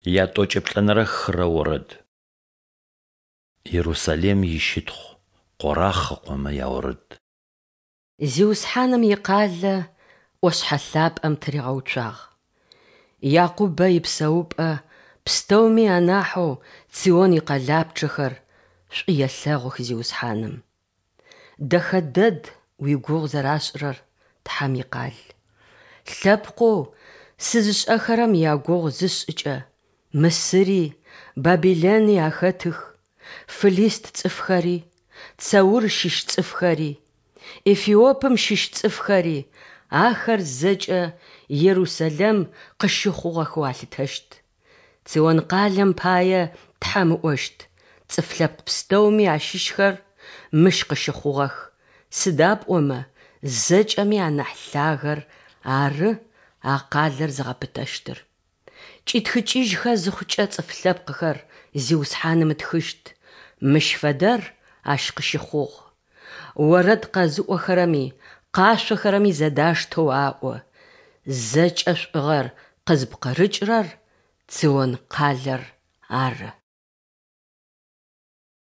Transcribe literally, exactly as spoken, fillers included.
Ятӏокӏэ плӏэнэрэ хырэ орэд. Ерусалим ищытхъу Къорахъ ыкъомэ яорэд. Зиусхьаным икъалэ ӏошъхьэ лъапӏэм тыригъэуцуагъ. Якъубэ ипсэупӏэ пстэуми анахьэу Цион икъэлапчъэхэр шӏу елъэгъух Зиусхьаным. Дэхэ дэд уигугъу зэрашӏырэр, Тхьэм икъал. Лъэпкъэу сызышӏэхэрэм ягугъу зысшӏыкӏэ, Мысыри, Бабилэни ахэтых, фылист цӏыфхэри, Цэур щыщ цӏыфхэри, Эфиопым щыщ цӏыфхэри, ахэр зэкӏэ Ерусэлэм къыщыхъугъэхэу алъытэщт. Цион къалэм пае Тхьэм ыӏощт: Цӏыф лъэпкъ пстэуми ащыщхэр мыщ къыщыхъугъэх, сыда пӏомэ зэкӏэми анахь Лъагэр ары а къалэр зыгъэпытэщтыр. Кӏитхыкӏыжьхэ зыхъукӏэ цӏыф лъэпкъхэр Зиусхьаным ытхыщт: Мыщ фэдэр ащ къыщыхъугъ. Орэд къэзыӏохэрэми къашъохэрэми зэдаштэу аӏо: Зэкӏэ шӏугъэр къызпкъырыкӏырэр Цион къалэр ары.